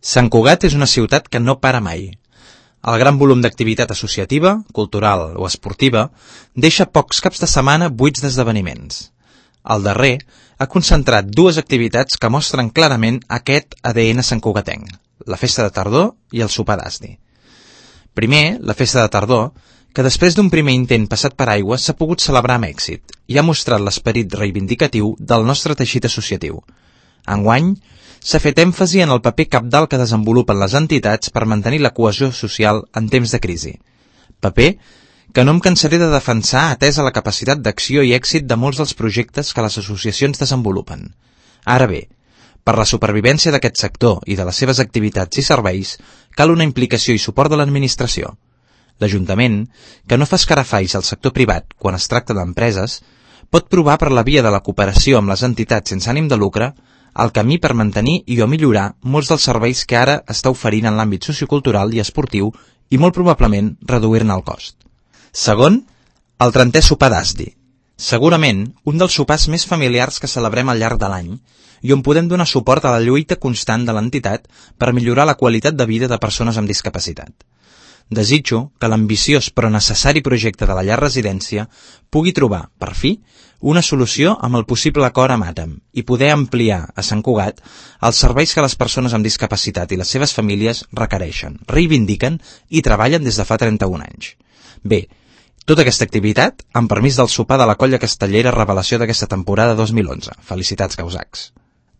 Sant Cugat és una ciutat que no para mai. El gran volum d'activitat associativa, cultural o esportiva deixa pocs caps de setmana buits d'esdeveniments. El darrer ha concentrat dues activitats que mostren clarament aquest ADN santcugatenc, la festa de tardor i el sopar d'Asdi. Primer, la festa de tardor, que després d'un primer intent passat per aigua s'ha pogut celebrar amb èxit i ha mostrat l'esperit reivindicatiu del nostre teixit associatiu. Enguany, s'ha fet èmfasi en el paper cabdal que desenvolupen les entitats per mantenir la cohesió social en temps de crisi. Paper que no em cansaré de defensar atesa la capacitat d'acció i èxit de molts dels projectes que les associacions desenvolupen. Ara bé, per la supervivència d'aquest sector i de les seves activitats i serveis, cal una implicació i suport de l'administració. L'Ajuntament, que no fa escarafalls al sector privat quan es tracta d'empreses, pot provar per la via de la cooperació amb les entitats sense ànim de lucre el camí per mantenir i o millorar molts dels serveis que ara està oferint en l'àmbit sociocultural i esportiu i molt probablement reduir-ne el cost. Segon, el 30è sopar d'Asdi. Segurament un dels sopars més familiars que celebrem al llarg de l'any i on podem donar suport a la lluita constant de l'entitat per millorar la qualitat de vida de persones amb discapacitat. Desitjo que l'ambiciós però necessari projecte de la llar residència pugui trobar, per fi, una solució amb el possible acord amb ATAM i poder ampliar a Sant Cugat els serveis que les persones amb discapacitat i les seves famílies requereixen, reivindiquen i treballen des de fa 31 anys. Bé, tota aquesta activitat amb permís del sopar de la colla castellera revelació d'aquesta temporada 2011. Felicitats, causacs.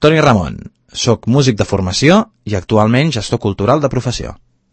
Toni Ramon, soc músic de formació i actualment gestor cultural de professió.